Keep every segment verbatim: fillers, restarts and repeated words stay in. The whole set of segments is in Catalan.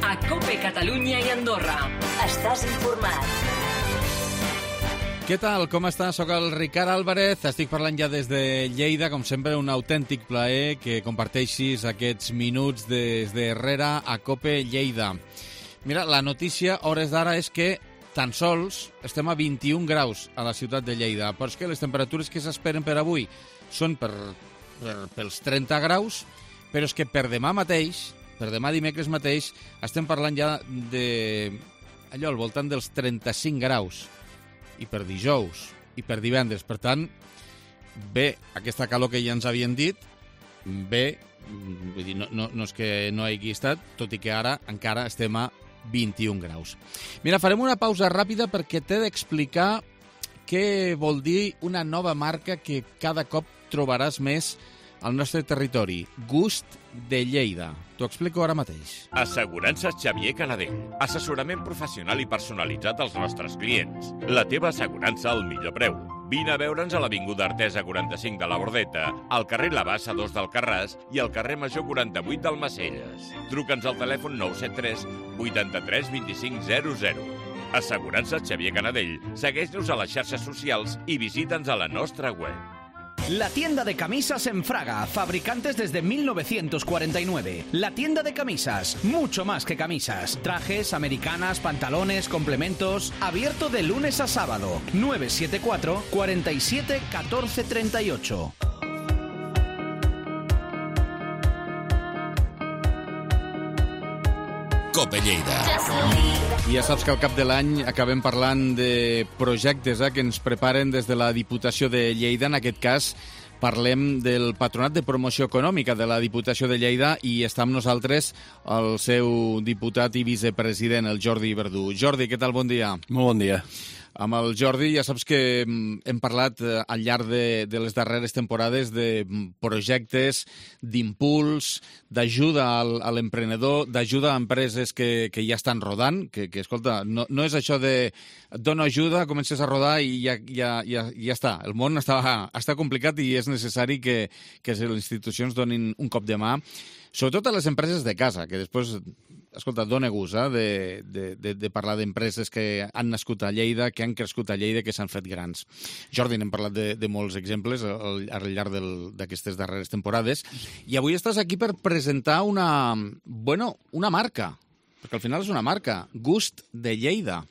a COPE Catalunya i Andorra. Estàs informat. Què tal? Com estàs? Soc el Ricard Álvarez, estic parlant ja des de Lleida, com sempre un autèntic plaer que comparteixis aquests minuts des de Herrera a COPE Lleida. Mira, la notícia a hores d'ara és que tan sols estem a vint-i-un graus a la ciutat de Lleida, però és que les temperatures que s'esperen per avui són per, per, pels trenta graus, però és que per demà mateix, per demà dimecres mateix, estem parlant ja de allò al voltant dels trenta-cinc graus. I per dijous, i per divendres. Per tant, bé, aquesta calor que ja ens havien dit, bé, vull dir, no, no, no és que no hagi estat, tot i que ara encara estem a vint-i-un graus. Mira, farem una pausa ràpida perquè t'he d'explicar què vol dir una nova marca que cada cop trobaràs més al nostre territori, Gust de Lleida. T'ho explico ara mateix. Assegurances Xavier Canadell. Assessorament professional i personalitzat als nostres clients. La teva assegurança al millor preu. Vine a veure'ns a l'Avinguda Artesa quaranta-cinc de la Bordeta, al carrer La Bassa dos d'Alcarràs i al carrer Major quaranta-vuit d'Almacelles. Truca'ns al telèfon nou set tres vuitanta-tres vint-i-cinc zero zero. Assegurances Xavier Canadell. Segueix-nos a les xarxes socials i visita'ns a la nostra web. La tienda de camisas en Fraga, fabricantes desde mil novecientos cuarenta y nueve. La tienda de camisas, mucho más que camisas. Trajes, americanas, pantalones, complementos. Abierto de lunes a sábado. nueve siete cuatro, cuatro siete, uno cuatro tres ocho. COPE Lleida. I ja saps que al cap de l'any acabem parlant de projectes eh, que ens preparen des de la Diputació de Lleida. En aquest cas parlem del Patronat de Promoció Econòmica de la Diputació de Lleida i està amb nosaltres el seu diputat i vicepresident, el Jordi Verdú. Jordi, què tal? Bon dia. Molt bon dia. Amb el Jordi ja saps que hem parlat al llarg de, de les darreres temporades de projectes d'impuls, d'ajuda al, a l'emprenedor, d'ajuda a empreses que, que ja estan rodant, que, que escolta, no, no és això de et dono ajuda, comences a rodar i ja, ja, ja, ja està. El món està, està complicat i és necessari que, que les institucions donin un cop de mà, sobretot a les empreses de casa, que després, escolta, dona gust eh, de, de, de, de parlar d'empreses que han nascut a Lleida, que han crescut a Lleida, que s'han fet grans. Jordi, n'hem parlat de, de molts exemples al, al llarg d'aquestes darreres temporades, i avui estàs aquí per presentar una, bueno, una marca, perquè al final és una marca, Gust de Lleida.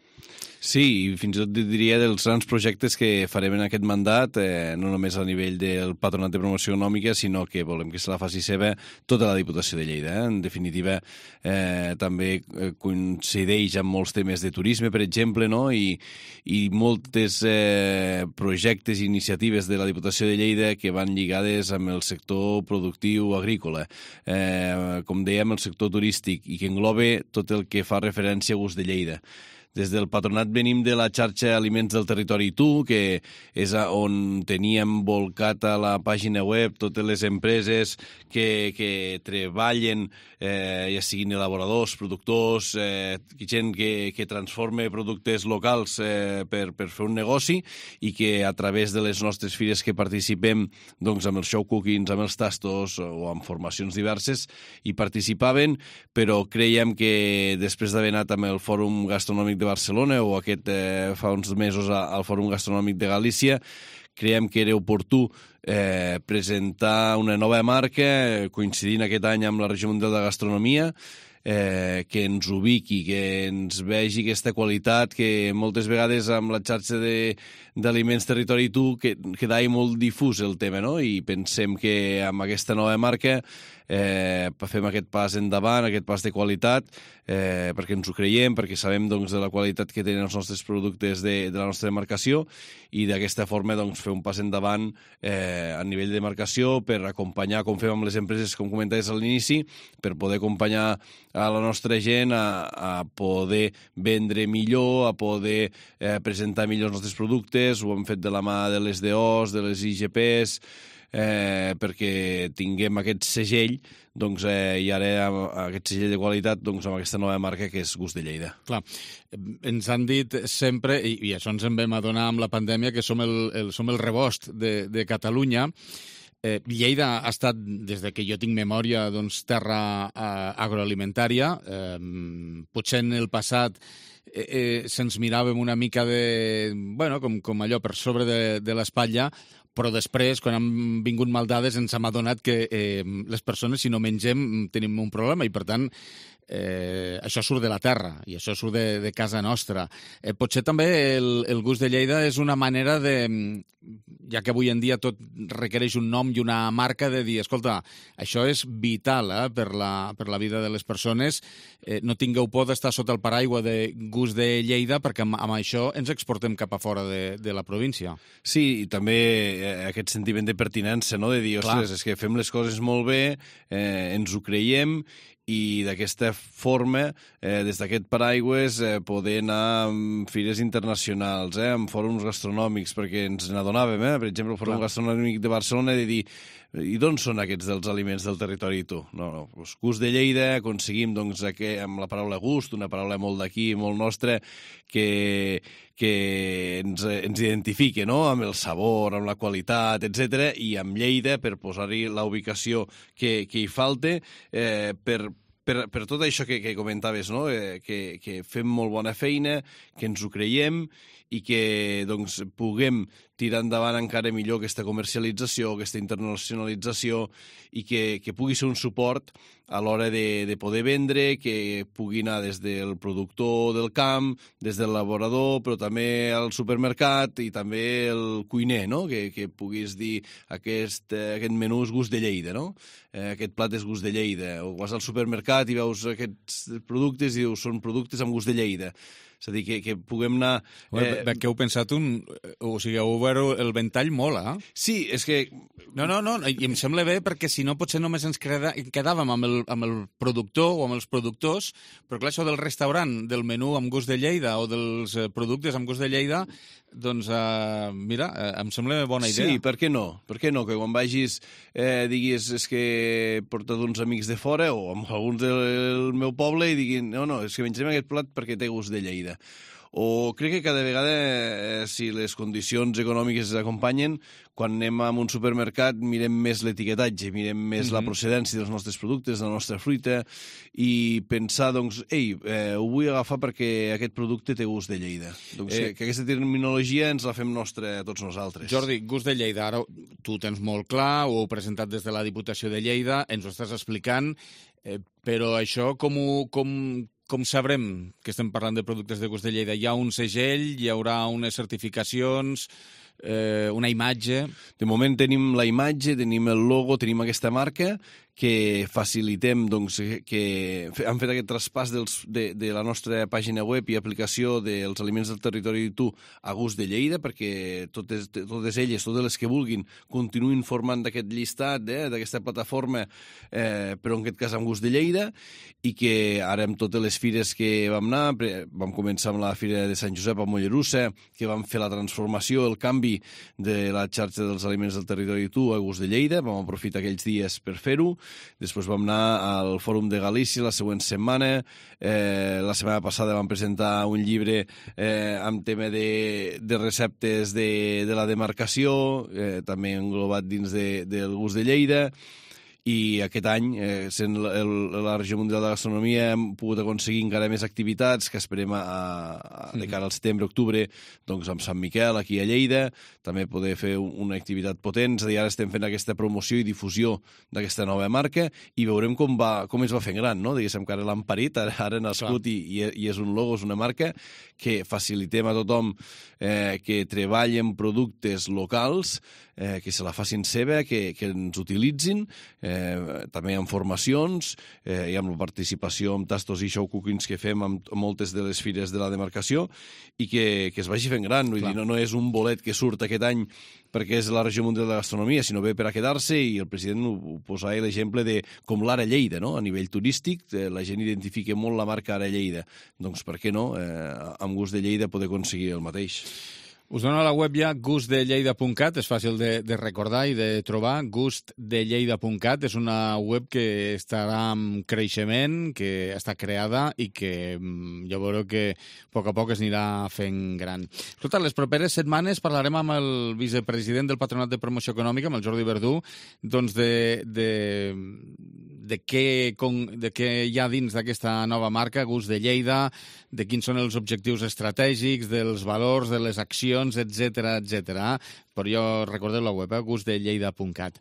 Sí, i fins i tot diria dels grans projectes que farem en aquest mandat, eh, no només a nivell del Patronat de Promoció Econòmica, sinó que volem que se la faci seva tota la Diputació de Lleida. Eh? En definitiva, eh, també coincideix amb molts temes de turisme, per exemple, no? I, i moltes eh, projectes i iniciatives de la Diputació de Lleida que van lligades amb el sector productiu agrícola. Eh, com dèiem, el sector turístic, i que engloba tot el que fa referència a Gust de Lleida. Des del patronat venim de la xarxa Aliments del Territori Tu, que és on teníem volcat a la pàgina web totes les empreses que, que treballen, eh, ja siguin elaboradors, productors, eh, gent que, que transforma productes locals eh, per, per fer un negoci, i que a través de les nostres fires que participem, doncs amb els show cookings, amb els tastos o amb formacions diverses, hi participaven, però creiem que després d'haver anat amb el Fòrum Gastronòmic de Barcelona o aquest eh, fa uns mesos al Fòrum Gastronòmic de Galícia, creiem que era oportú eh, presentar una nova marca coincidint aquest any amb la Regió Mundial de Gastronomia, eh, que ens ubiqui, que ens vegi aquesta qualitat, que moltes vegades amb la xarxa d'Aliments Territori Tu que quedava molt difús el tema, no? I pensem que amb aquesta nova marca eh, fem aquest pas endavant, aquest pas de qualitat, eh, perquè ens ho creiem, perquè sabem doncs, de la qualitat que tenen els nostres productes de, de la nostra demarcació, i d'aquesta forma doncs, fer un pas endavant eh, a nivell de demarcació per acompanyar, com fem amb les empreses, com comentaves a l'inici, per poder acompanyar a la nostra gent a, a poder vendre millor, a poder eh, presentar millor els nostres productes. Ho hem fet de la mà de les D Os, de les I G Ps, eh, perquè tinguem aquest segell, doncs, eh, i ara aquest segell de qualitat doncs, amb aquesta nova marca que és Gust de Lleida. Clar, ens han dit sempre, i, i això ens en vam adonar amb la pandèmia, que som el, el, som el rebost de, de Catalunya. Eh, Lleida ha estat, des de que jo tinc memòria, doncs, terra eh, agroalimentària. Eh, potser en el passat eh, eh, se'ns miràvem una mica de... Bueno, com, com allò per sobre de, de l'espatlla, però després, quan han vingut maldades, ens hem adonat que eh, les persones, si no mengem, tenim un problema i, per tant, eh, això surt de la terra i això surt de, de casa nostra. Eh, potser també el, el gust de Lleida és una manera de, ja que avui en dia tot requereix un nom i una marca, de dir, escolta, això és vital eh, per, la, per la vida de les persones, eh, no tingueu por d'estar sota el paraigua de gust de Lleida, perquè amb, amb això ens exportem cap a fora de, de la província. Sí, i també aquest sentiment de pertinença, no? De dir, ostres, és que fem les coses molt bé, eh, ens ho creiem, i d'aquesta forma, eh, des d'aquest paraigües, eh, poder anar amb fires internacionals, eh, amb fòrums gastronòmics, perquè ens n'adonàvem, eh? Per exemple, el Fòrum Gastronòmic de Barcelona, de dir, i d'on són aquests dels aliments del territori tu? No, no, doncs gust de Lleida, aconseguim, doncs, aquest, amb la paraula gust, una paraula molt d'aquí, molt nostra, que, que ens, ens identifique, no?, amb el sabor, amb la qualitat, etcètera, i amb Lleida, per posar-hi la ubicació que, que hi falte, eh, per, per, per tot això que, que comentaves, no?, eh, que, que fem molt bona feina, que ens ho creiem, i que doncs, puguem tirar endavant encara millor aquesta comercialització, aquesta internacionalització, i que, que pugui ser un suport a l'hora de, de poder vendre, que pugui anar des del productor del camp, des del laborador, però també al supermercat i també el cuiner, no?, que, que puguis dir aquest, aquest menú és gust de Lleida, no?, eh, aquest plat és gust de Lleida, o vas al supermercat i veus aquests productes i dius són productes amb gust de Lleida. És a dir, que, que puguem anar... Eh... Que heu pensat un... O sigui, heu obert el ventall molt, eh? Sí, és que... No, no, no, i em sembla bé perquè si no potser només ens quedàvem amb el, amb el productor o amb els productors, però clar, això del restaurant, del menú amb gust de Lleida o dels productes amb gust de Lleida, doncs, eh, mira, eh, em sembla bona idea. Sí, per què no? Per què no? Que quan vagis eh, diguis és que he portat uns amics de fora o amb alguns del meu poble i diguin no, no, és que menjarem aquest plat perquè té gust de Lleida. O crec que cada vegada, eh, si les condicions econòmiques acompanyen, quan anem a un supermercat mirem més l'etiquetatge, mirem més mm-hmm. la procedència dels nostres productes, de la nostra fruita, i pensar, doncs, ei, eh, ho vull agafar perquè aquest producte té gust de Lleida. Doncs eh, que, que aquesta terminologia ens la fem nostra a tots nosaltres. Jordi, gust de Lleida, ara tu tens molt clar, ho heu presentat des de la Diputació de Lleida, ens ho estàs explicant, eh, però això com ho... Com... Com sabrem que estem parlant de productes de gust de Lleida? Hi ha un segell, hi haurà unes certificacions, eh, una imatge... De moment tenim la imatge, tenim el logo, tenim aquesta marca, que facilitem, doncs, que han fet aquest traspàs dels, de, de la nostra pàgina web i aplicació dels aliments del territori tu a gust de Lleida, perquè totes, totes elles, totes les que vulguin, continuïn formant d'aquest llistat, eh, d'aquesta plataforma, eh, però en aquest cas amb gust de Lleida, i que ara amb totes les fires que vam anar, vam començar amb la Fira de Sant Josep a Mollerussa, que vam fer la transformació, el canvi de la xarxa dels aliments del territori tu a gust de Lleida, vam aprofitar aquells dies per fer-ho. Després vam anar al Fòrum de Galícia la següent setmana. Eh, la setmana passada vam presentar un llibre eh, amb tema de, de receptes de, de la demarcació, eh, també englobat dins de, del gust de Lleida. I aquest any, eh, sent la, el, la Regió Mundial de Gastronomia, hem pogut aconseguir encara més activitats que esperem a, a, de cara al setembre-octubre, doncs amb Sant Miquel, aquí a Lleida, també poder fer una activitat potent. És a dir, ara estem fent aquesta promoció i difusió d'aquesta nova marca i veurem com, va, com es va fent gran, no? Diguéssim que ara l'han parit, ara, ara ha nascut i, i és un logo, és una marca que facilitem a tothom eh, que treballi en productes locals, eh, que se la facin seva, que, que ens utilitzin, eh, també amb formacions eh, i amb la participació amb tastos i show cookings que fem amb moltes de les fires de la demarcació i que, que es vagi fent gran. Vull dir, no, no és un bolet que surt aquest any perquè és la Regió Mundial de Gastronomia, sinó ve per a quedar-se, i el president ho, ho posava l'exemple de com l'Ara Lleida, no? A nivell turístic, eh, la gent identifica molt la marca Ara Lleida. Doncs per què no, eh, amb gust de Lleida, poder aconseguir el mateix? Us dono la web ja gust de lleida punt cat, és fàcil de, de recordar i de trobar. gust de lleida punt cat és una web que estarà en creixement, que està creada i que jo veureu que a poc a poc es anirà fent gran. Totes les properes setmanes parlarem amb el vicepresident del Patronat de Promoció Econòmica, amb el Jordi Verdú, doncs de, de, de, què, de què hi ha dins d'aquesta nova marca, Gust de Lleida, de quins són els objectius estratègics, dels valors, de les accions, etcètera, etcètera. Però jo recordeu la web, eh? gust de lleida punt cat.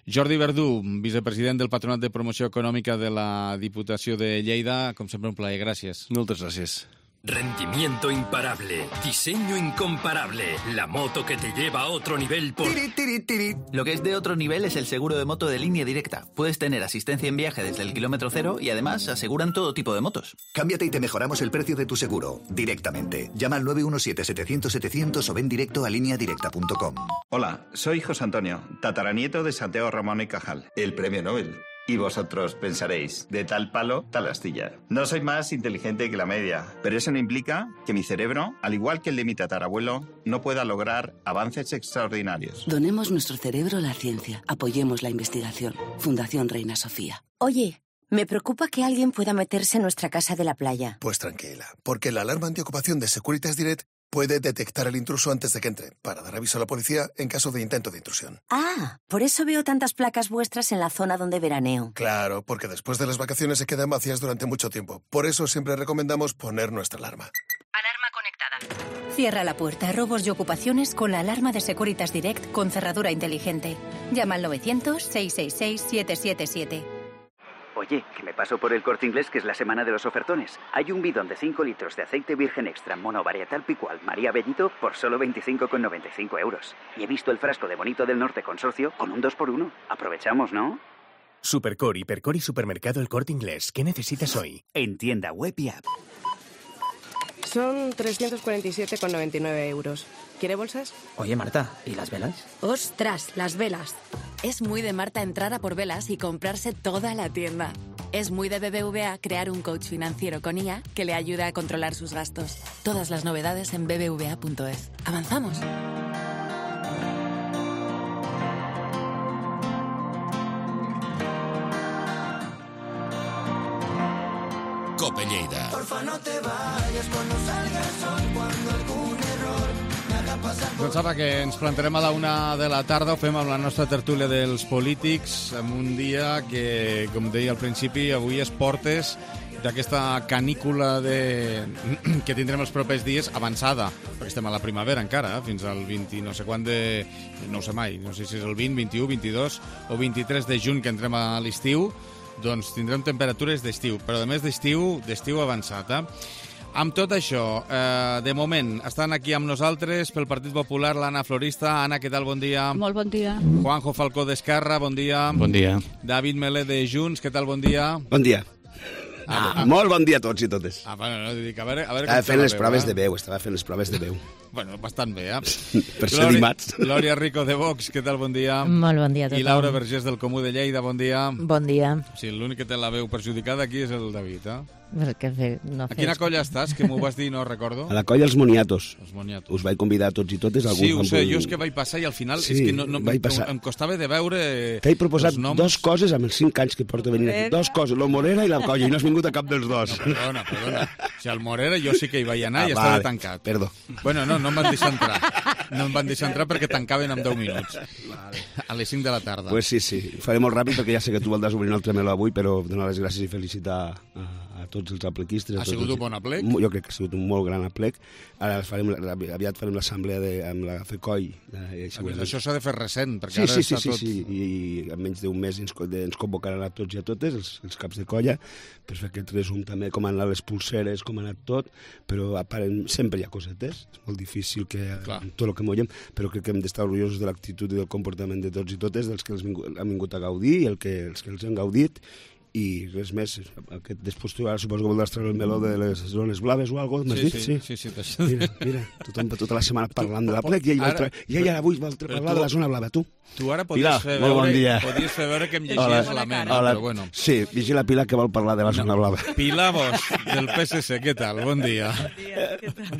Jordi Verdú, vicepresident del Patronat de Promoció Econòmica de la Diputació de Lleida, com sempre un plaer, gràcies. Moltes gràcies. Rendimiento imparable, diseño incomparable, la moto que te lleva a otro nivel por... Tiri, tiri, tiri. Lo que es de otro nivel es el seguro de moto de línea directa. Puedes tener asistencia en viaje desde el kilómetro cero y además aseguran todo tipo de motos. Cámbiate y te mejoramos el precio de tu seguro, directamente. Llama al nueve uno siete, setecientos, setecientos o ven directo a línea directa punto com. Hola, soy José Antonio, tataranieto de Santiago Ramón y Cajal, el premio Nobel. Y vosotros pensaréis, de tal palo, tal astilla. No soy más inteligente que la media, pero eso no implica que mi cerebro, al igual que el de mi tatarabuelo, no pueda lograr avances extraordinarios. Donemos nuestro cerebro a la ciencia. Apoyemos la investigación. Fundación Reina Sofía. Oye, me preocupa que alguien pueda meterse en nuestra casa de la playa. Pues tranquila, porque la alarma antiocupación de Securitas Direct puede detectar al intruso antes de que entre, para dar aviso a la policía en caso de intento de intrusión. Ah, por eso veo tantas placas vuestras en la zona donde veraneo. Claro, porque después de las vacaciones se quedan vacías durante mucho tiempo. Por eso siempre recomendamos poner nuestra alarma. Alarma conectada. Cierra la puerta a robos y ocupaciones con la alarma de Securitas Direct con cerradura inteligente. Llama al novecientos, seiscientos sesenta y seis, siete siete siete. Oye, que me paso por el Corte Inglés, que es la semana de los ofertones. Hay un bidón de cinco litros de aceite virgen extra monovarietal picual María Bellito por solo veinticinco con noventa y cinco euros. Y he visto el frasco de Bonito del Norte Consorcio con un dos por uno. Aprovechamos, ¿no? Supercore, Hipercore y Supermercado El Corte Inglés. ¿Qué necesitas hoy? En tienda web y app. Son trescientos cuarenta y siete con noventa y nueve euros. ¿Quiere bolsas? Oye, Marta, ¿y las velas? ¡Ostras, las velas! Es muy de Marta entrar a por velas y comprarse toda la tienda. Es muy de B B V A crear un coach financiero con I A que le ayuda a controlar sus gastos. Todas las novedades en b b v a punto es. ¡Avanzamos! Cope Lleida. Porfa, no te vayas cuando salga el sol, cuando algún error me haga pasar por... Doncs ara que ens plantarem a la una de la tarda, ho fem amb la nostra tertúlia dels polítics, en un dia que, com deia al principi, avui es portes d'aquesta canícula de... que tindrem els propers dies avançada, perquè estem a la primavera encara, eh? Fins al vint, no sé quan de... no ho sé mai, no sé si és el vint, vint-i-u, vint-i-dos o vint-i-tres de juny que entrem a l'estiu, doncs tindrem temperatures d'estiu, però a més d'estiu, d'estiu avançat. Eh? Amb tot això, eh, de moment, estan aquí amb nosaltres pel Partit Popular l'Anna Florista. Anna, què tal? Bon dia. Molt bon dia. Juanjo Falcó d'Esquerra, bon dia. Bon dia. David Melé de Junts, què tal? Bon dia. Bon dia. Ah, ah, molt bon dia a tots i totes. Ah, bueno, no, dic, a veure, a veure estava fent les veu, proves eh? de veu, estava fent les proves de veu. Bueno, bastant bé, eh? Per ser dimarts. Glòria Rico de Vox, què tal? Bon dia. Molt bon dia a tothom. I Laura Vergés del Comú de Lleida, bon dia. Bon dia. Sí, l'únic que té la veu perjudicada aquí és el David, eh? Perquè fer, no a quina colla estàs, que m'ho vas dir i no recordo? A la colla Els Moniatos. Els Moniatos. Us vaig convidar a tots i totes. Sí, ho sé, jo és que vaig passar i al final sí, és que no, no, em costava de veure T'he proposat dos coses amb els cinc anys que porto venint aquí. Dos coses, el Morera i la colla, i no has vingut a cap dels dos. No, perdona, perdona. O sigui, al Morera jo sí que hi vaig anar ah, i estava vale. tancat. Perdó. Bueno, no, no em van deixar entrar. No em van deixar entrar perquè tancaven en deu minuts. Vale. A les cinc de la tarda. Pues sí, sí. Faré molt ràpid perquè ja sé que tu voldràs obrir el tremeló avui, però donar les gràcies i felicitar a, a tots els aplequistes. Ha sigut els... un bon aplec? Jo crec que ha sigut un molt gran aplec. Ara farem, aviat farem l'assemblea de, amb la FECOI. Eh, això s'ha de fer recent, perquè sí, ara sí, està sí, tot... Sí, sí, i en menys d'un mes ens, ens convocaran a tots i a totes, els, els caps de colla, per fer aquest resum també, com han anat les pulseres, com ha anat tot, però aparent, sempre hi ha cosetes, és molt difícil que Clar. tot el que mollem, però crec que hem d'estar orgullosos de l'actitud i del comportament de tots i totes, dels que els vingut, han vingut a gaudir i el que, els que els han gaudit, i res més. Aquest, després tu ara suposo que voldràs treure el meló de les zones blaves o alguna cosa, m'has sí, dit? Sí, sí, sí. sí Mira, mira, tothom tota la setmana parlant de la plec i ell, ara, tra... i ell ara avui vol parlar de la zona blava, tu. Tu ara podies fer molt bon veure, dia. podies fer veure que em llegies la ment, Hola. però bueno. Sí, vigila Pilar que vol parlar de la zona blava. Pilar Bosch, del P S C, què tal? Bon dia. Bon dia, què tal?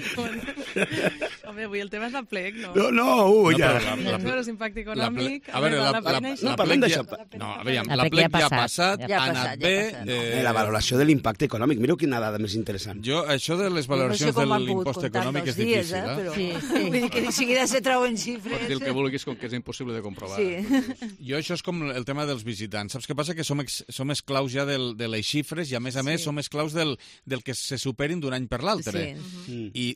Home, avui el tema és la plec, no? No, no, ui, ja. No, però l'impacte econòmic... A veure, la, la, la, no, la plec ja... No, a veure, la plec ja ha passat, ha anat bé... Eh, la valoració de l'impacte econòmic, mireu quina dada més interessant. Jo, això de les valoracions de l'impost econòmic és difícil, eh? Però... Sí, sí. Vull dir que de seguida se trauen xifres... Pots dir el que vulguis com que és impossible de comprovar. Sí. Jo això és com el tema dels visitants. Saps què passa? Que som, ex, som esclaus ja del, de les xifres i, a més a més, sí. som esclaus del, del que se superin d'un any per l'altre. Sí. Uh-huh. I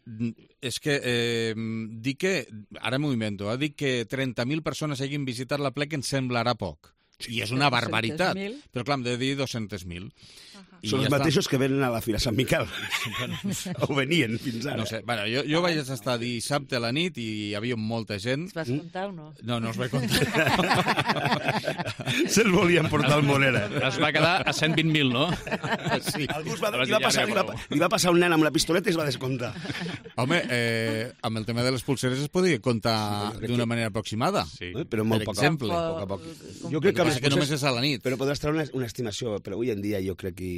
és que eh, dic que, ara m'ho invento, eh, dic que trenta mil persones hagin visitat la plec ens semblarà poc. I és una barbaritat. Però clar, hem de dir dos-cents mil. I Són ja els mateixos està. Que venen a la Fira Sant Miquel. O venien fins ara. No sé, bueno, jo, jo vaig estar dissabte a la nit i hi havia molta gent. Els vas comptar o no? No, no els vaig comptar. Se'ls volien portar al Morera. Es va quedar a cent vint mil, no? Sí. Algú es va, li, va passar, li, va, li va passar un nen amb la pistoleta i es va descomptar. Home, eh, amb el tema de les pulseres es podia comptar sí, d'una manera aproximada. Sí. Però molt per poc, exemple. Poc a poc. Jo crec que, que només és a la nit. Però podràs treure una, una estimació, però avui en dia jo crec que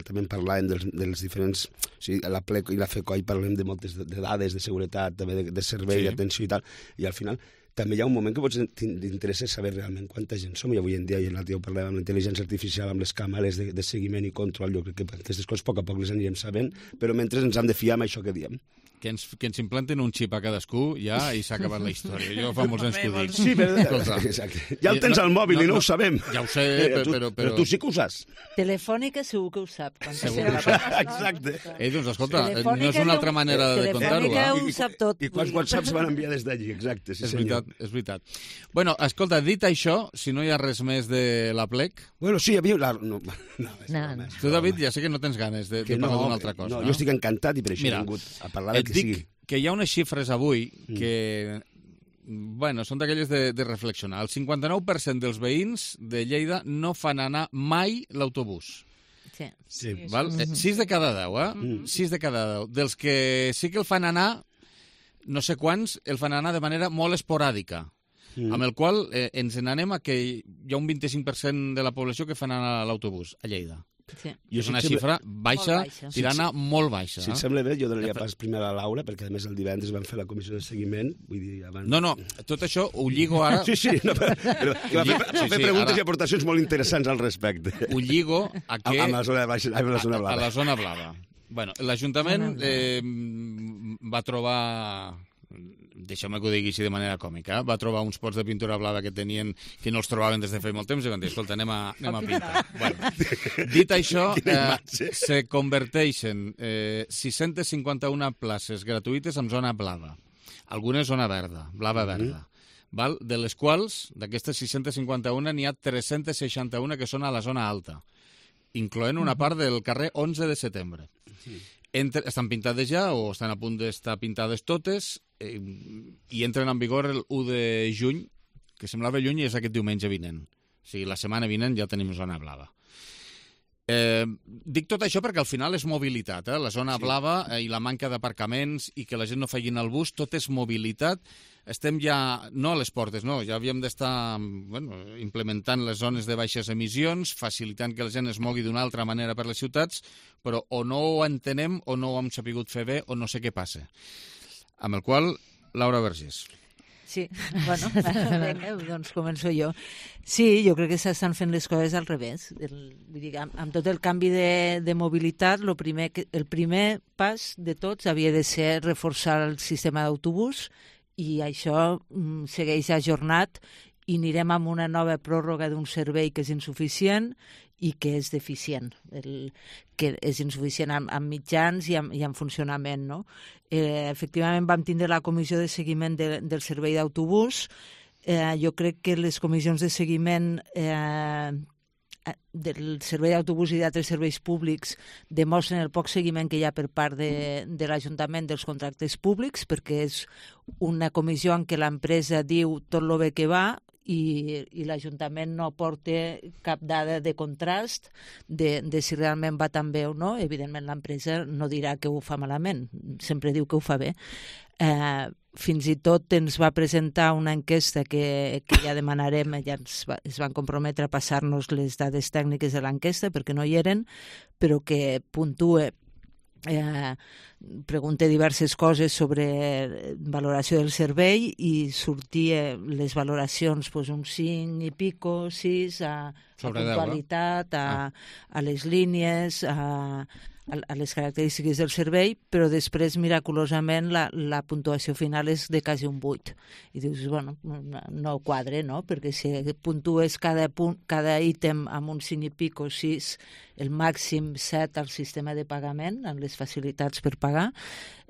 també parlàvem dels, dels diferents... O sigui, a la plec i la FECOI parlem de moltes de, de dades, de seguretat, també de, de servei, sí. d'atenció i tal, i al final també hi ha un moment que pots t'interessa saber realment quanta gent som, i avui en dia, i l'altre dia ho parlàvem amb la intel·ligència artificial, amb les càmeres de, de seguiment i control, jo crec que aquestes coses a poc a poc les anirem sabent, però mentre ens hem de fiar amb això que diem. Que ens, que ens implanten un xip a cadascú ja i s'ha acabat la història. Jo fa molts anys que ho dic. Sí, però... Exacte. Ja el tens al mòbil no, i no, no ho sabem. Ja ho sé, però... Però, però, però tu sí que ho saps. Telefònica segur que ho sap. Segur que ho sap. Exacte. Eh, doncs escolta, no és una altra manera de contar-ho. Telefònica ho sap tot. I quants whatsapps van enviar des d'allí, exacte. Sí, és veritat, és veritat. Bueno, escolta, dit això, si no hi ha res més de la plec... Bueno, sí, hi havia... La... No, no, no, no. Tu, David, ja sé que no tens ganes de, de parlar no, d'una altra cosa. No, no, jo estic encantat i per això Mira, he vingut a parlar del que dic, sigui. Que hi ha unes xifres avui que, bueno, són d'aquelles de, de reflexionar. El cinquanta-nou per cent dels veïns de Lleida no fan anar mai l'autobús. Sí. sí. Val? Mm-hmm. Sis de cada deu, eh? Mm. Sis de cada deu. Dels que sí que el fan anar, no sé quants, el fan anar de manera molt esporàdica. Mm. Amb el qual eh, ens n'anem a que hi ha un vint-i-cinc per cent de la població que fan anar l'autobús a Lleida. Sí. I és una xifra baixa, baixa. tirana sí, molt baixa. Si et sembla bé, jo donaria pas primer a la Laura, perquè a més el divendres van fer la comissió de seguiment. Vull dir, abans... No, no, tot això ho lligo ara... Sí, sí, no, però, però va fer, va fer sí, sí, preguntes ara... i aportacions molt interessants al respecte. Ho lligo a que... A, a la zona baixa, a la zona blava. A, a la zona blava. Bueno, l'Ajuntament eh, va trobar... Deixeu-me que ho digui així de manera còmica, va trobar uns pots de pintura blava que tenien que no els trobaven des de feia molt temps i van dir, escolta, anem a, anem a pintar. Bueno, dit això, eh, se converteixen eh, sis-centes cinquanta-una places gratuïtes en zona blava. Algunes zona verda, blava verda. Mm. Val? De les quals, d'aquestes sis-centes cinquanta-una, n'hi ha tres-centes seixanta-una que són a la zona alta, incloent una part del carrer onze de setembre. Entre, estan pintades ja o estan a punt d'estar pintades totes eh, i entren en vigor el u de juny, que semblava lluny i és aquest diumenge vinent. O sigui, la setmana vinent ja tenim zona blava. Eh, dic tot això perquè al final és mobilitat. Eh? La zona sí. blava eh, i la manca d'aparcaments i que la gent no faci el bus, tot és mobilitat. Estem ja, no a les portes, no, ja havíem d'estar bueno, implementant les zones de baixes emissions, facilitant que la gent es mogui d'una altra manera per les ciutats, però o no ho entenem o no ho hem sapigut fer bé o no sé què passa. Amb el qual, Laura Vergés. Sí, bueno, vinga, doncs començo jo. Sí, jo crec que s'estan fent les coses al revés. El, vull dir, amb, amb tot el canvi de, de mobilitat, lo primer que, el primer pas de tots havia de ser reforçar el sistema d'autobús i això mm, segueix ajornat i anirem amb una nova pròrroga d'un servei que és insuficient i que és deficient, el, que és insuficient amb, amb mitjans i amb, i amb funcionament. No? Eh, efectivament, vam tindre la comissió de seguiment de, del servei d'autobús. Eh, jo crec que les comissions de seguiment eh, del servei d'autobús i d'altres serveis públics demostren el poc seguiment que hi ha per part de, de l'Ajuntament dels contractes públics, perquè és una comissió en què l'empresa diu tot el bé que va i, i l'Ajuntament no aporta cap dada de contrast de, de si realment va tan bé o no. Evidentment l'empresa no dirà que ho fa malament, sempre diu que ho fa bé. Eh, fins i tot ens va presentar una enquesta que, que ja demanarem, ja ens va, es van comprometre a passar-nos les dades tècniques de l'enquesta perquè no hi eren, però que puntue, eh, pregunta diverses coses sobre valoració del servei i sortia les valoracions pues, un cinc i pico, sis, a, a puntualitat, a, a les línies, a... a les característiques del servei, però després, miraculosament, la, la puntuació final és de quasi un vuit. I dius, bueno, no, no quadre, no? Perquè si puntues cada, punt, cada ítem amb un cinc i pico, sis, el màxim set al sistema de pagament, amb les facilitats per pagar,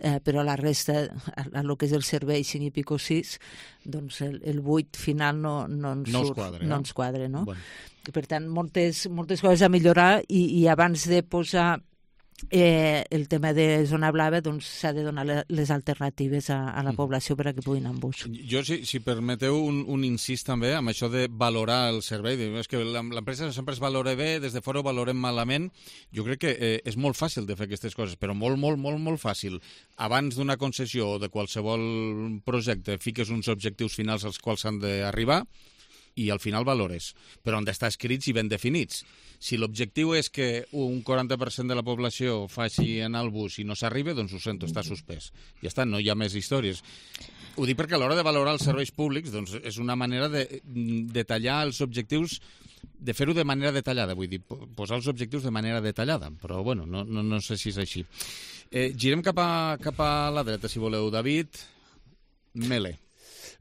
eh, però la resta, a, a lo que és el servei cinc i pico, sis, doncs el, el vuit final no, no ens no surt, quadre, no eh? ens quadre, no? Bueno. Per tant, moltes, moltes coses a millorar i, i abans de posar Eh, el tema de zona blava doncs s'ha de donar les alternatives a, a la població per a que puguin anar amb bus. Jo, si, si permeteu un, un incís també amb això de valorar el servei, és que l'empresa sempre es valora bé, des de fora ho valorem malament. Jo crec que eh, és molt fàcil de fer aquestes coses, però molt, molt, molt, molt fàcil. Abans d'una concessió o de qualsevol projecte fiques uns objectius finals als quals s'han d'arribar i al final valores, però han d'estar escrits i ben definits. Si l'objectiu és que un quaranta per cent de la població faci anar al bus i no s'arriba, doncs ho sento, està suspès. Ja està, no hi ha més històries. Ho dic perquè a l'hora de valorar els serveis públics doncs és una manera de detallar els objectius, de fer-ho de manera detallada, vull dir, posar els objectius de manera detallada, però bueno, no, no, no sé si és així. Eh, girem cap a, cap a la dreta, si voleu. David Mele.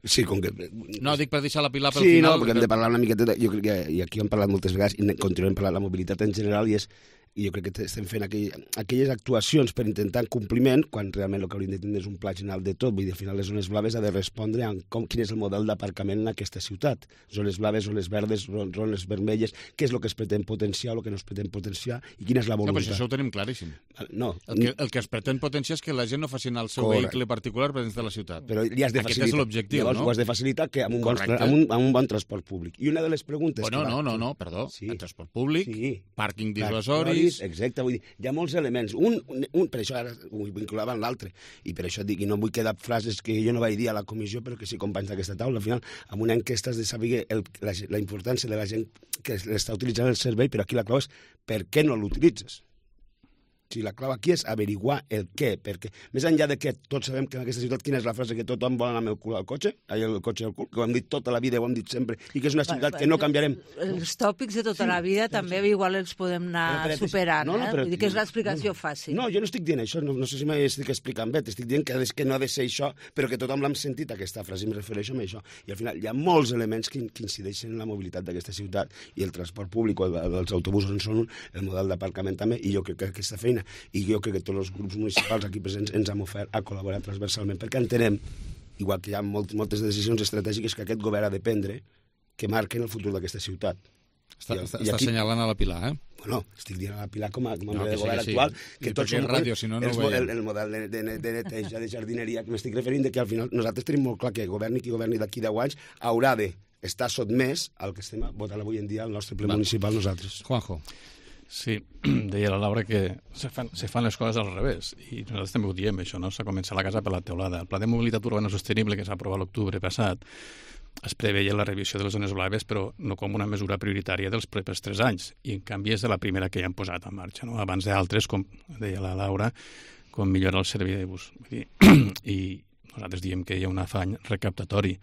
Sí, com que... No, dic per deixar la Pilar pel sí, final. Sí, no, perquè hem de parlar una miqueta... De... Jo crec que, i aquí hem parlat moltes vegades, i continuem parlant de la mobilitat en general, i és i jo crec que estem fent aquell, aquelles actuacions per intentar compliment, quan realment el que hauríem de tindre és un pla general de tot. Vull dir, al final les zones blaves ha de respondre a com, quin és el model d'aparcament en aquesta ciutat. Zones blaves, zones verdes, zones vermelles, què és el que es pretén potenciar, el que no es pretén potenciar, i quina és la voluntat. No, però això ho tenim claríssim. No. El que, el que es pretén potenciar és que la gent no faci anar el seu Correcte. vehicle particular per dins de la ciutat. Però li has de Aquest és l'objectiu, Llavors, no? ho has de facilitar que amb un, bon, amb, un, amb un bon transport públic. I una de les preguntes... Bueno, que va... no, no, no, perdó. Sí. El transport públic, sí. pàrquing dissuasoris... Exacte, vull dir, hi ha molts elements. Un, un, un per això ara ho vinculava amb l'altre, i per això dic, i no vull quedar frases que jo no vaig dir a la comissió, però que sí companys d'aquesta taula. Al final, amb una enquesta has de saber el, la, la importància de la gent que està utilitzant el servei, però aquí la clau és per què no l'utilitzes. Si la clau aquí és averiguar el què, perquè més enllà de que tots sabem que en aquesta ciutat quina és la frase que tothom vol anar amb el cul al cotxe, ai, el cotxe al cul, que ho hem dit tota la vida, ho hem dit sempre, i que és una ciutat que no canviarem. Els tòpics de tota sí, la vida sí, també sí. igual els podem anar però, però, superant, no, no, però, eh? Vull dir que és l'explicació no, fàcil. No, jo no estic dient això, no, no sé si m'estic explicant bé, t'estic dient que, que no ha de ser això, però que tothom l'hem sentit aquesta frase, i em refereixo a això. I al final hi ha molts elements que, que incideixen en la mobilitat d'aquesta ciutat, i el transport públic, els autobusos en són un, el model d'aparcament també, i jo crec que aquesta feina, i jo crec que tots els grups municipals aquí presents ens hem ofert a col·laborar transversalment, perquè entenem, igual que hi ha molt, moltes decisions estratègiques que aquest govern ha de prendre, que marquen el futur d'aquesta ciutat. Està, I, està, i aquí, està assenyalant a la Pilar, eh? Bueno, estic dient a la Pilar com a, com a no, membre de govern sí, actual, sí. que I tots som ràdio, si no, no el, el, el model de, de, de neteja, de jardineria, que m'estic referint, de que al final nosaltres tenim molt clar que governi qui governi d'aquí deu anys haurà de estar sotmès al que estem votant avui en dia al nostre ple Va. municipal nosaltres. Juanjo. Sí, deia la Laura que se fan, se fan les coses al revés, i nosaltres també ho diem, això, no? S'ha començat la casa per la teulada. El Pla de Mobilitat Urbana Sostenible, que s'ha aprovat l'octubre passat, es preveia la revisió de les zones blaves, però no com una mesura prioritària dels propers tres anys, i en canvi és de la primera que ja han posat en marxa, no? Abans d'altres, com deia la Laura, com millorar el servei de bus. Vull dir, i nosaltres diem que hi ha un afany recaptatori.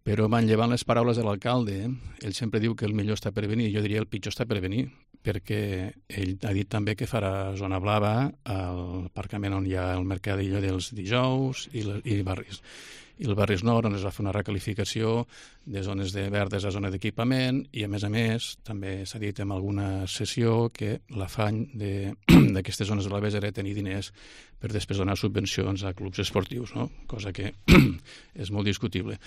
Però manllevant les paraules de l'alcalde, eh? Ell sempre diu que el millor està per venir, jo diria el pitjor està per venir, perquè ell ha dit també que farà zona blava al aparcament on hi ha el mercadillo dels dijous i, le, i barris. I el Barris Nord, on es va fer una recalificació de zones de verdes a zona d'equipament, i a més a més també s'ha dit en alguna sessió que l'afany d'aquestes zones blaves era tenir diners per després donar subvencions a clubs esportius, no? Cosa que és molt discutible.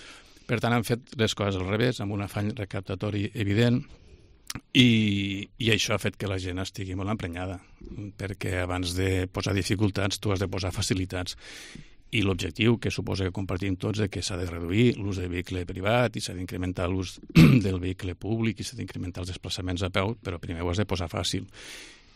Per tant, han fet les coses al revés, amb un afany recaptatori evident, i, i això ha fet que la gent estigui molt emprenyada, perquè abans de posar dificultats tu has de posar facilitats. I l'objectiu, que suposa que compartim tots, és que s'ha de reduir l'ús del vehicle privat i s'ha d'incrementar l'ús del vehicle públic i s'ha d'incrementar els desplaçaments a peu, però primer ho has de posar fàcil.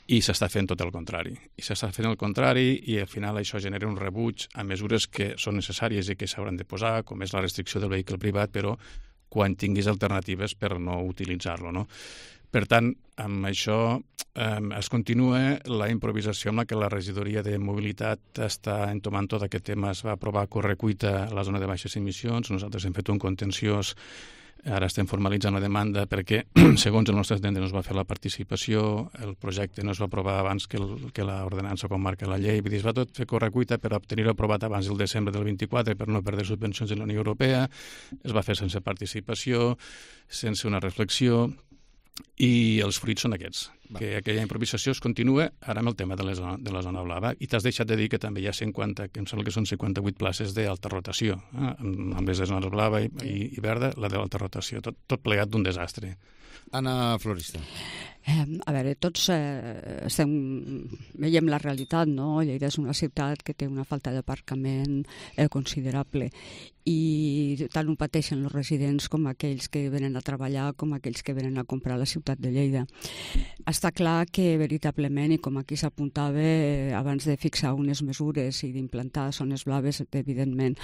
i s'està fent tot el contrari. I s'està fent el contrari i al final això genera un rebuig a mesures que són necessàries i que s'hauran de posar, com és la restricció del vehicle privat, però quan tinguis alternatives per no utilitzar-lo, no? Per tant, amb això eh, es continua la improvisació amb la que la regidoria de mobilitat està entomant tot aquest tema. Es va aprovar a correcuita a la zona de baixes emissions. Nosaltres hem fet un contenciós. Ara estem formalitzant la demanda perquè, segons el nostre entendre, no es va fer la participació, el projecte no es va aprovar abans que, el, que l'ordenança com marca la llei. Vull dir, es va tot fer correcuita per obtenir-ho aprovat abans del desembre del vint-i-quatre per no perdre subvencions de la Unió Europea. Es va fer sense participació, sense una reflexió, i els fruits són aquests, va. Que aquella improvisació es continua ara amb el tema de la zona, de la zona blava. I t'has deixat de dir que també hi ha cinquanta, que em sembla que són cinquanta-vuit places d'alta rotació, eh? amb les de zona blava i, i, i verda, la de l'alta rotació, tot, tot plegat d'un desastre. Anna Florista. Eh, a veure, tots eh, estem, veiem la realitat, no? Lleida és una ciutat que té una falta d'aparcament eh, considerable i tant ho pateixen els residents com aquells que venen a treballar, com aquells que venen a comprar a la ciutat de Lleida. Està clar que veritablement, i com aquí s'apuntava, eh, abans de fixar unes mesures i d'implantar zones blaves, evidentment,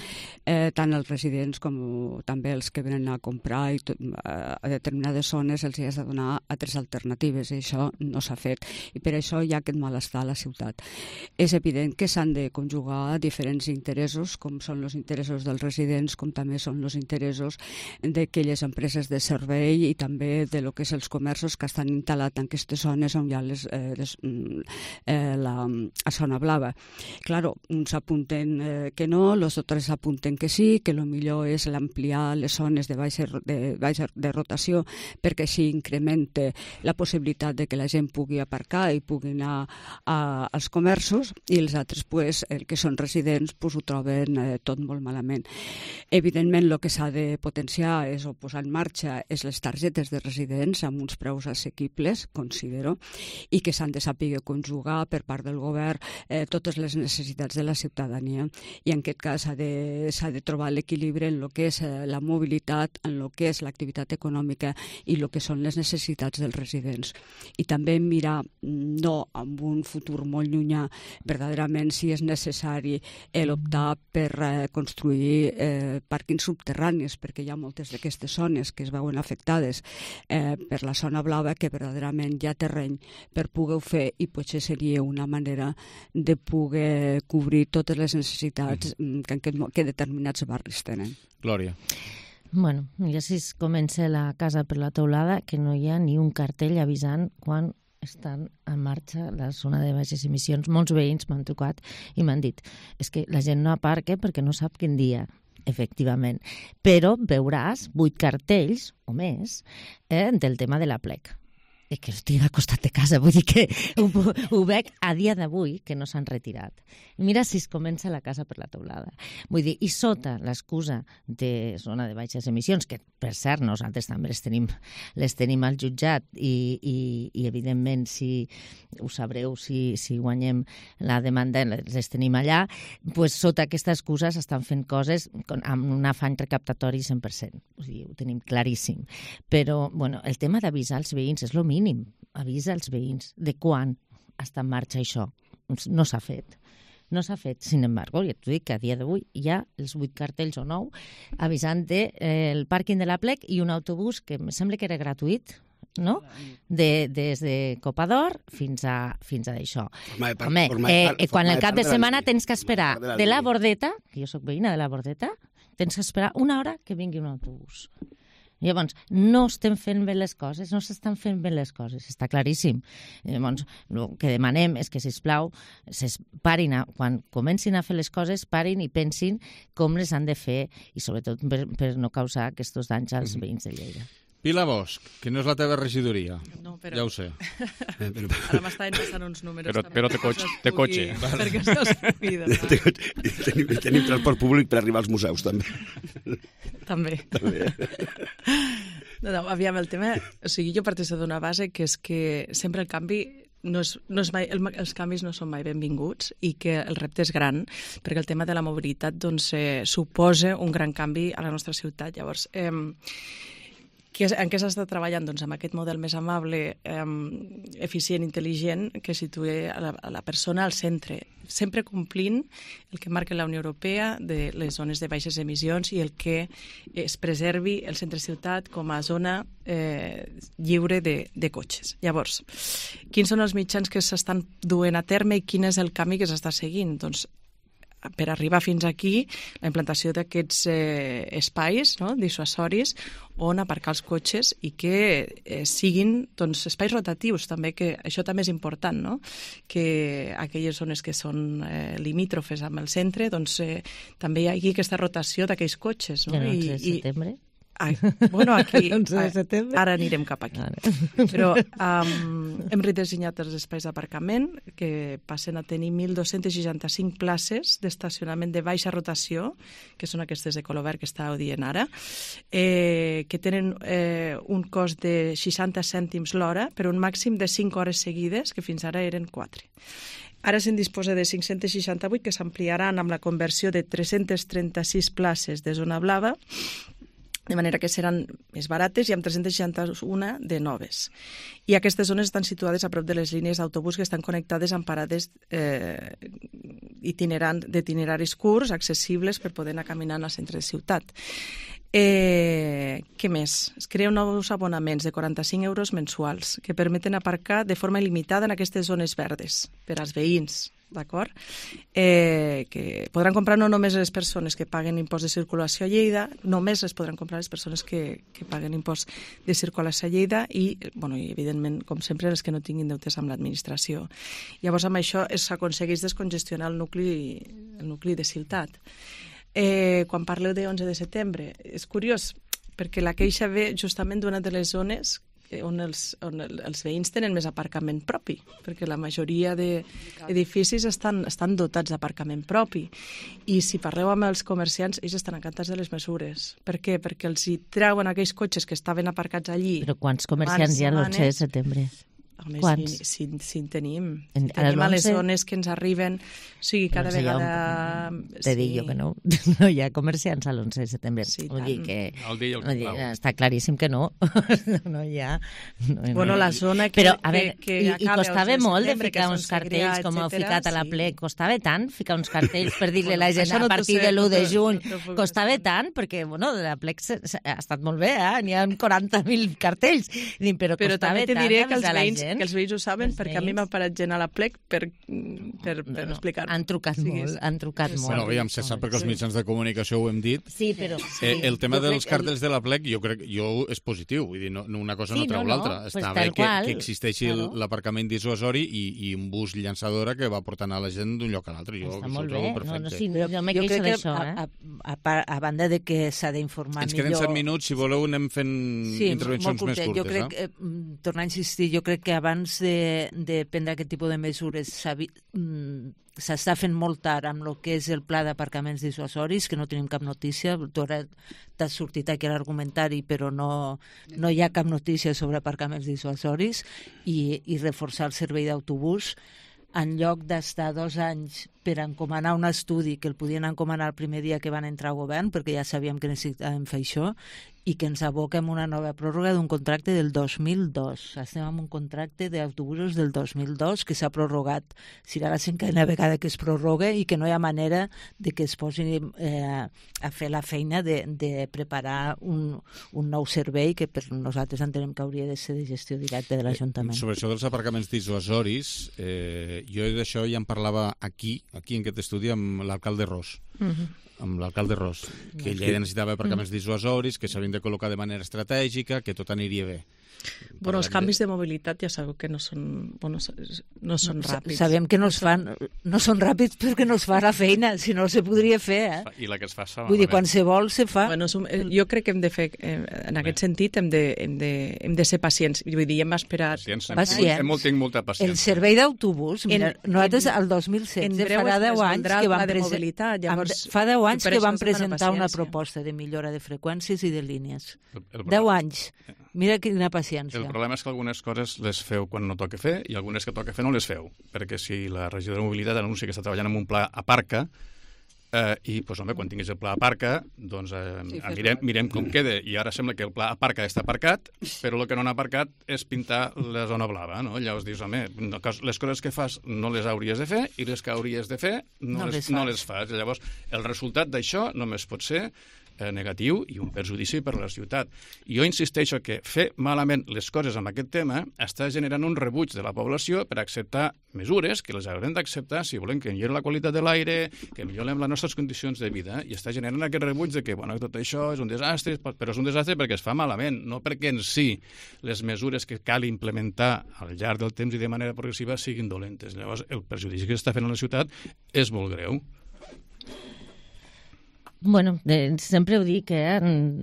eh, tant els residents com també els que venen a comprar i tot, a determinades zones els hi has de donar altres alternatives, i això no s'ha fet, i per això hi ha aquest malestar a la ciutat. És evident que s'han de conjugar diferents interessos, com són els interessos dels residents, com també són els interessos d'aquelles empreses de servei i també de lo que és els comerços que estan instal·lats en aquestes zones on hi ha les, eh, les, eh, la, la zona blava. Claro, uns apunten eh, que no, els altres apunten que sí, que el millor és l'ampliar les zones de baixa, de baixa de rotació perquè així incrementa la possibilitat de que la gent pugui aparcar i pugui anar a, als comerços, i els altres, pues, el que són residents, pues, ho troben eh, tot molt malament. Evidentment, el que s'ha de potenciar és, o posar en marxa és les targetes de residents amb uns preus assequibles, considero, i que s'han de saber conjugar per part del govern eh, totes les necessitats de la ciutadania. I en aquest cas s'ha de, s'ha de trobar l'equilibri en el que és eh, la mobilitat, en el que és l'activitat econòmica i el que són les necessitats dels residents. I també mirar, no amb un futur molt llunyà, verdaderament si és necessari l'optar per eh, construir eh, pàrquings subterranis, perquè hi ha moltes d'aquestes zones que es veuen afectades eh, per la zona blava, que verdaderament hi ha terreny per poder-ho fer, i potser seria una manera de poder cobrir totes les necessitats mm. que, aquest, que determinats barris tenen. Glòria. Bueno, ja si es comença la casa per la teulada, que no hi ha ni un cartell avisant quan estan en marxa la zona de baixes emissions. Molts veïns m'han trucat i m'han dit és que la gent no aparca perquè no sap quin dia. Efectivament. Però veuràs vuit cartells o més eh, del tema de la plec. I que estic al costat de casa, vull dir que ho, ho veig a dia d'avui que no s'han retirat. I mira si es comença la casa per la teulada. Vull dir, i sota l'excusa de zona de baixes emissions, que per cert nosaltres també les tenim, les tenim al jutjat i, i, i evidentment si ho sabreu, si, si guanyem la demanda les tenim allà, pues sota aquesta excusa s'estan fent coses amb un afany recaptatori cent per cent. Vull dir, ho tenim claríssim. Però bueno, el tema d'avisar els veïns és el mínim. Avisa els veïns de quan està en marxa això. No s'ha fet. No s'ha fet. Sin embargo, ja t'ho dic que a dia d'avui hi ha els vuit cartells o nou avisant del de, eh, pàrquing de la plec i un autobús que em sembla que era gratuït, no? De, des de Copador fins a, fins a això. Home, eh, eh, quan el cap de setmana tens que esperar de la Bordeta, que jo soc veïna de la Bordeta, tens que esperar una hora que vingui un autobús. Llavors, no estem fent bé les coses, no s'estan fent bé les coses, està claríssim. Llavors, el que demanem és que, sisplau, parin a, quan comencin a fer les coses, parin i pensin com les han de fer i, sobretot, per, per no causar aquests danys als veïns de Lleida. Pilar Bosch, que no és la teva regidoria. No, però... Ja ho sé. Ara m'estaven passant uns números. Però, però té cotxe. Té cotxe. Perquè això es pugui donar. Tenim, tenim transport públic per arribar als museus, també. També. també. No, no, aviam, el tema... O sigui, jo parteixo d'una base que és que sempre el canvi... No és, no és mai, el, els canvis no són mai benvinguts i que el repte és gran, perquè el tema de la mobilitat doncs, eh, suposa un gran canvi a la nostra ciutat. Llavors, eh, Que, en què s'està treballant? Doncs amb aquest model més amable, eh, eficient, intel·ligent, que situï a la, a la persona al centre, sempre complint el que marca la Unió Europea de les zones de baixes emissions i el que es preservi el centre-ciutat com a zona eh, lliure de, de cotxes. Llavors, quins són els mitjans que s'estan duent a terme i quin és el camí que s'està seguint? Doncs per arribar fins aquí, la implantació d'aquests eh, espais, no?, dissuasoris on aparcar els cotxes i que eh, siguin doncs, espais rotatius també, que això també és important, no?, que aquelles zones que són eh, limítrofes amb el centre, doncs eh, també hi hagi aquesta rotació d'aquells cotxes, no? I el onze de setembre? Ai, bueno, aquí onze de setembre. Ara anirem cap aquí. Però um, hem redissenyat els espais d'aparcament que passen a tenir mil dos-cents seixanta-cinc places d'estacionament de baixa rotació, que són aquestes de color verd que estàveu dient ara, eh, que tenen eh, un cost de seixanta cèntims l'hora per un màxim de cinc hores seguides, que fins ara eren quatre. Ara se'n disposa de cinc-cents seixanta-vuit que s'ampliaran amb la conversió de tres-cents trenta-sis places de zona blava, de manera que seran més barates, i amb tres-cents seixanta-un de noves. I aquestes zones estan situades a prop de les línies d'autobús que estan connectades amb parades eh, itinerant, d'itineraris curts, accessibles per poder anar caminant al centre de ciutat. Eh, què més? Es creen nous abonaments de quaranta-cinc euros mensuals que permeten aparcar de forma il·limitada en aquestes zones verdes per als veïns, d'acord? Eh, que podran comprar no només les persones que paguen impost de circulació a Lleida, només les podran comprar les persones que, que paguen impost de circulació a Lleida i, bueno, i, evidentment, com sempre, els que no tinguin deutes amb l'administració. Llavors, amb això s'aconsegueix descongestionar el nucli, el nucli de ciutat. Eh, quan parleu de onze de setembre, és curiós, perquè la queixa ve justament d'una de les zones on els, on els veïns tenen més aparcament propi, perquè la majoria d'edificis estan, estan dotats d'aparcament propi. I si parleu amb els comerciants, ells estan encantats de les mesures. Per què? Perquè els hi treuen aquells cotxes que estaven aparcats allí. Però quants comerciants hi ha l'onze de setembre? Home, Quants? Si, si, si en tenim. En, si tenim a les zones que ens arriben, o sigui, cada no sé, vegada... Un... Te sí. dic jo que no. No hi ha comerciants a l'onze de setembre. Sí, Vull dir que... El dia i el vull dir, està claríssim que no. No hi ha... No, bueno, no. la zona que... Però, a veure, que, que i, i costava molt de ficar uns cartells, com heu etcètera, ficat a la sí. ple, costava tant ficar uns cartells per dir-li a la gent bueno, a partir sé, de l'u de no, juny. no, no, Costava tant, perquè, bueno, la plec ha estat molt bé, eh? N'hi ha quaranta mil cartells. Però, però també te diré que els, veïns, gent, que els veïns ho saben, perquè a mi m'ha parat gent a la plec per, per, per no, no, explicar-ho. Han trucat sí, molt, han trucat sí, molt. Bueno, aviam, se sap perquè els mitjans de comunicació ho hem dit. Sí, però... Sí, eh, el tema dels cartells el... de la plec, jo crec jo és positiu, vull dir, no, una cosa sí, no treu no, l'altra. no, Està pues bé que, qual, que existeixi claro. l'aparcament dissuasori i, i un bus llançadora que va portant a la gent d'un lloc a l'altre. Jo Està això molt ho trobo bé, perfecte. no, no, sí, jo me queixo d'això, eh? A, a, a, a banda de que s'ha d'informar millor... Ens queden set minuts, si voleu anem fent sí, intervencions més curtes. Jo crec, eh? eh, tornar a insistir, jo crec que abans de, de prendre aquest tipus de mesures s'està fent molt tard amb el que és el pla d'aparcaments dissuasoris, que no tenim cap notícia. Tu ara t'has sortit aquí a l'argumentari, però no, no hi ha cap notícia sobre aparcaments dissuasoris, i, i reforçar el servei d'autobús en lloc d'estar dos anys per encomanar un estudi que el podien encomanar el primer dia que van entrar al govern, perquè ja sabíem que necessitàvem fer això, i que ens aboca en una nova pròrroga d'un contracte del dos mil dos. Estem en un contracte d'autobusos del dos mil dos que s'ha prorrogat. Serà la cinquena vegada que es prorroga i que no hi ha manera de que es posi eh, a fer la feina de, de preparar un, un nou servei que per nosaltres entenem que hauria de ser de gestió directa de l'Ajuntament. Eh, sobre això dels aparcaments dissuasoris, eh, jo d'això ja en parlava aquí, aquí en aquest estudi, amb l'alcalde Ros. Uh-huh. amb l'alcalde Ros, que ell ja necessitava aparcaments mm. dissuasoris, que s'havien de col·locar de manera estratègica, que tot aniria bé. Bueno, els canvis de mobilitat ja sabeu que no són, bueno, no són no, ràpids. Sabem que no es fan, no són ràpids perquè no es fa la feina, si no se podria fer, eh? I la que es fa s'ha Vull dir, quan se vol, se fa. Bueno, jo crec que hem de fer, en aquest bé. sentit, hem de, hem, de, hem de ser pacients. Vull dir, hem esperat... Pacients, pacients. Hem, hem, hem molta paciència. El servei d'autobús, mira, en, nosaltres el dos mil setze farà deu anys que vam presentar, llavors, fa deu anys que vam presentar una proposta de millora de freqüències i de línies. Deu anys. Mira quina paciència. El problema és que algunes coses les feu quan no toca fer i algunes que toca fer no les feu, perquè si la regidora de mobilitat anuncia que està treballant en un pla aparca, eh, i, doncs, home, quan tinguis el pla aparca, doncs eh, sí, mirem, mirem com queda, i ara sembla que el pla aparca està aparcat, però el que no han aparcat és pintar la zona blava, no? Llavors dius, home, les coses que fas no les hauries de fer, i les que hauries de fer no, no, les, les, no les fas. Llavors, el resultat d'això només pot ser eh, negatiu i un perjudici per a la ciutat. I jo insisteixo que fer malament les coses amb aquest tema està generant un rebuig de la població per acceptar mesures que les haurem d'acceptar si volem que millori la qualitat de l'aire, que millorem les nostres condicions de vida, i està generant aquest rebuig de que, bueno, tot això és un desastre, però és un desastre perquè es fa malament, no perquè en si les mesures que cal implementar al llarg del temps i de manera progressiva siguin dolentes. Llavors, el perjudici que s'està fent a la ciutat és molt greu. Bueno, de, sempre ho dic, eh?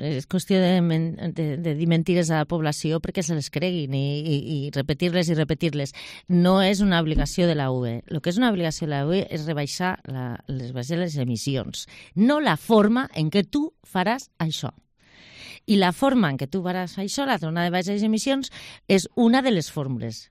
És qüestió de, de, de dir mentires a la població perquè se les creguin i, i, i repetir-les i repetir-les. No és una obligació de la U E. El que és una obligació de la U E és rebaixar la, les, les emissions, no la forma en què tu faràs això. I la forma en què tu faràs això, la zona de baixes emissions, és una de les fórmules.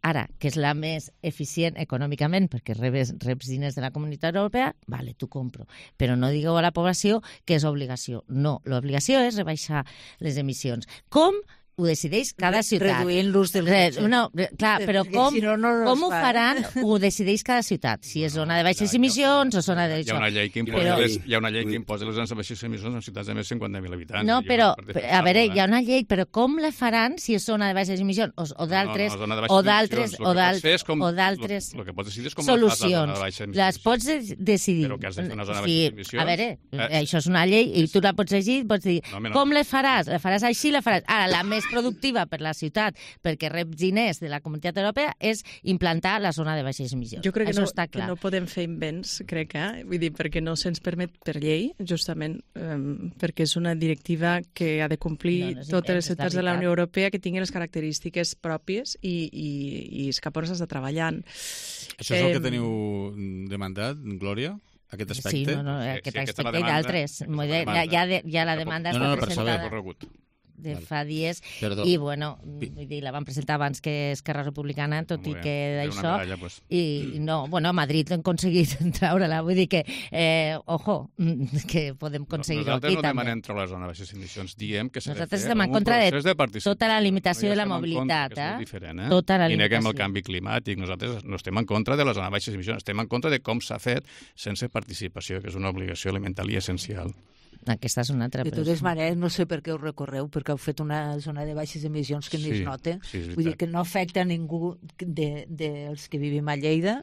Ara, que és la més eficient econòmicament, perquè rebes, reps diners de la Comunitat Europea, vale, t'ho compro. Però no digueu a la població que és obligació. No, l'obligació és rebaixar les emissions. Com? Ho decideix cada ciutat. Reduint l'ús del cotxe. No, clar, però com, si no, no com ho faran ho decideix cada ciutat. Si és zona de baixes emissions o zona de... Hi ha una llei que imposa, però... les, hi ha una llei que imposa les zones de baixes emissions en ciutats de més de cinquanta mil habitants. No, però, a veure, hi ha una llei, però com la faran si és zona de baixes emissions o, o d'altres... No, no, o d'altres... O d'altres... O d'altres... El que pots decidir és com solucions. Les pots decidir. Però que has de fer una zona de baixes emissions... A veure, això és una llei i tu la pots llegir, pots dir, com la faràs? La faràs així, la faràs... Ara, la més productiva per la ciutat, perquè rep diners de la Comunitat Europea, és implantar la zona de baixes emissions. Jo crec que, Això no, està clar. que no podem fer invents, crec, eh? Vull dir, perquè no se'ns permet per llei, justament um, perquè és una directiva que ha de complir no, no totes les ciutats de la Unió Europea que tinguin les característiques pròpies i, i, i és cap on s'està treballant. Això és eh, el que teniu demandat, Glòria? Aquest aspecte? Sí, no, no, aquest sí, aspecte i d'altres. Ja, ja, ja la demanda no, està no, no, presentada. Per de fa dies, Perdó. i bueno, vull dir, la van presentar abans que Esquerra Republicana, tot i que d'això, medalla, pues. i no, bueno, a Madrid han aconseguit treure-la, vull dir que, eh, ojo, que podem aconseguir-ho no, aquí també. Nosaltres no també. demanem treure les zones de baixes emissions, diem que s'ha de fer Nosaltres estem en contra de, de tota la limitació no de la mobilitat, eh? eh? Tota la I neguem el canvi climàtic, nosaltres no estem en contra de les zones de baixes emissions, estem en contra de com s'ha fet sense participació, que és una obligació elemental i essencial. Aquesta és una altra. De totes maneres, no sé per què ho recorreu, perquè heu fet una zona de baixes emissions que ni sí, es nota. Sí, Vull dir que no afecta a ningú de, de els que vivim a Lleida,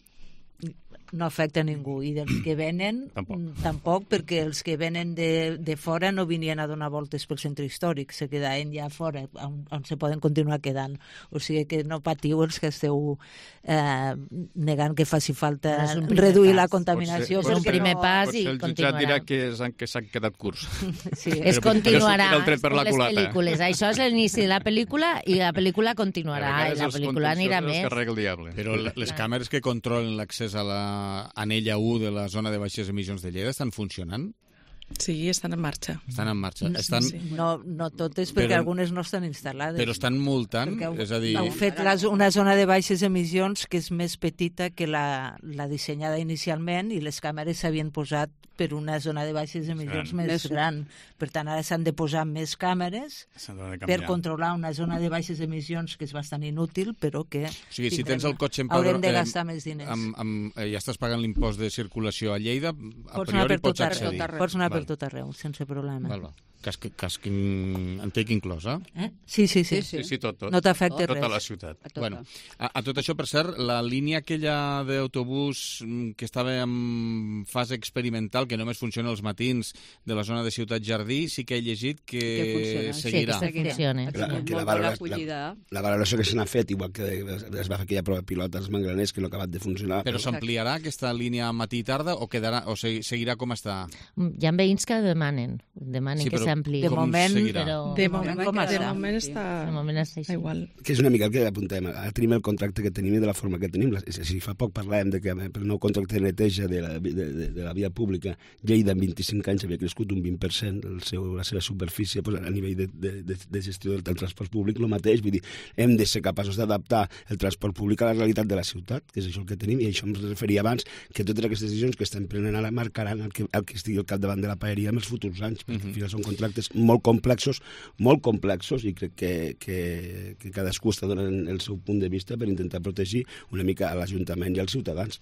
no afecta a ningú, i dels que venen tampoc, tampoc perquè els que venen de, de fora no venien a donar voltes pel centre històric, se quedaven ja fora on, on se poden continuar quedant, o sigui que no patiu els que esteu eh, negant que faci falta reduir pas. la contaminació. És un primer no, pas i continuarà. Potser el jutjat dirà que, és, que s'han quedat curts. Sí. Es continuarà, és per les pel·lícules, això és l'inici de la pel·lícula i la pel·lícula continuarà, i la pel·lícula anirà més. Però les càmeres que controlen l'accés a la anella u de la zona de baixes emissions de Lleida estan funcionant? Sí, estan en marxa. Estan en marxa. No, estan... sí. no, no totes, perquè però, algunes no estan instal·lades. Però estan multant? Heu, és a dir... heu fet la, una zona de baixes emissions que és més petita que la, la dissenyada inicialment, i les càmeres s'havien posat per una zona de baixes emissions gran. més gran. Per tant, ara s'han de posar més càmeres per controlar una zona de baixes emissions que és bastant inútil, però que o sigui, si tens el cotxe en haurem de gastar més diners. Amb, amb, eh, ja estàs pagant l'impost de circulació a Lleida, a pots priori per pots accedir. Pots anar per tot arreu, sense problema. Val, val. Casc, casc Antec inclòs, eh? eh? Sí, sí, sí. sí, sí tot, tot. No t'afecta res. Tota la ciutat. A, bueno, a, a tot això, per cert, la línia aquella d'autobús que estava en fase experimental, que només funciona els matins de la zona de Ciutat Jardí, sí que he llegit que, que seguirà. Sí, que funciona. La, que la, valoració, la, la valoració que se n'ha fet, igual que es va fer aquella prova pilota als Mangraners, que no ha acabat de funcionar. Però s'ampliarà aquesta línia matí i tarda o, quedarà, o seguirà com està? Hi ha veïns que demanen, demanen sí, que s'ampli. De moment, però... De moment, com de està? moment està De moment està així. igual. Que és una mica el que apuntem. Ara tenim el contracte que tenim i de la forma que tenim. Si fa poc parlàvem de que per el nou contracte de neteja de la, de, de, de la via pública, Lleida en vint-i-cinc anys havia crescut un vint per cent el seu, la seva superfície pues, a nivell de, de, de, de gestió del, del transport públic, el mateix. Vull dir, hem de ser capaços d'adaptar el transport públic a la realitat de la ciutat, que és això el que tenim, i això em referia abans, que totes aquestes decisions que estem prenent ara marcaran el que, el que estigui al capdavant de la paeria en els futurs anys, perquè al final són contractes molt complexos, molt complexos, i crec que, que, que cadascú està donant el seu punt de vista per intentar protegir una mica a l'Ajuntament i als ciutadans.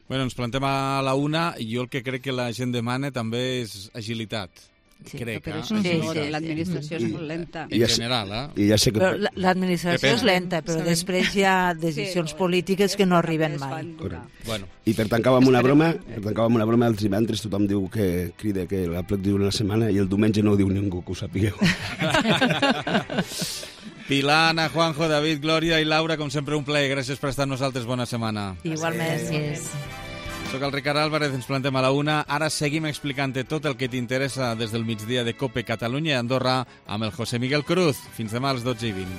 Bueno, ens plantem a la una, i jo el que crec que la gent demana també és agilitat. Sí, crec, però eh? això Sí, sí, sí, sí, l'administració és molt lenta. En general, eh? I ja sé que... Però l'administració és lenta, però després hi ha decisions polítiques que no arriben mai. Bueno. I per tancar amb una broma, per tancar amb una broma, els divendres tothom diu que crida que la plec diu una setmana i el diumenge no ho diu ningú, que ho sapigueu. Pilar, Ana, Juanjo, David, Glòria i Laura, com sempre un plaer. Gràcies per estar amb nosaltres. Bona setmana. Igualment. Gràcies. Soc el Ricard Álvarez, ens plantem a la una. Ara seguim explicant-te tot el que t'interessa des del migdia de COPE Catalunya i Andorra amb el José Miguel Cruz. Fins demà a les dotze i vint.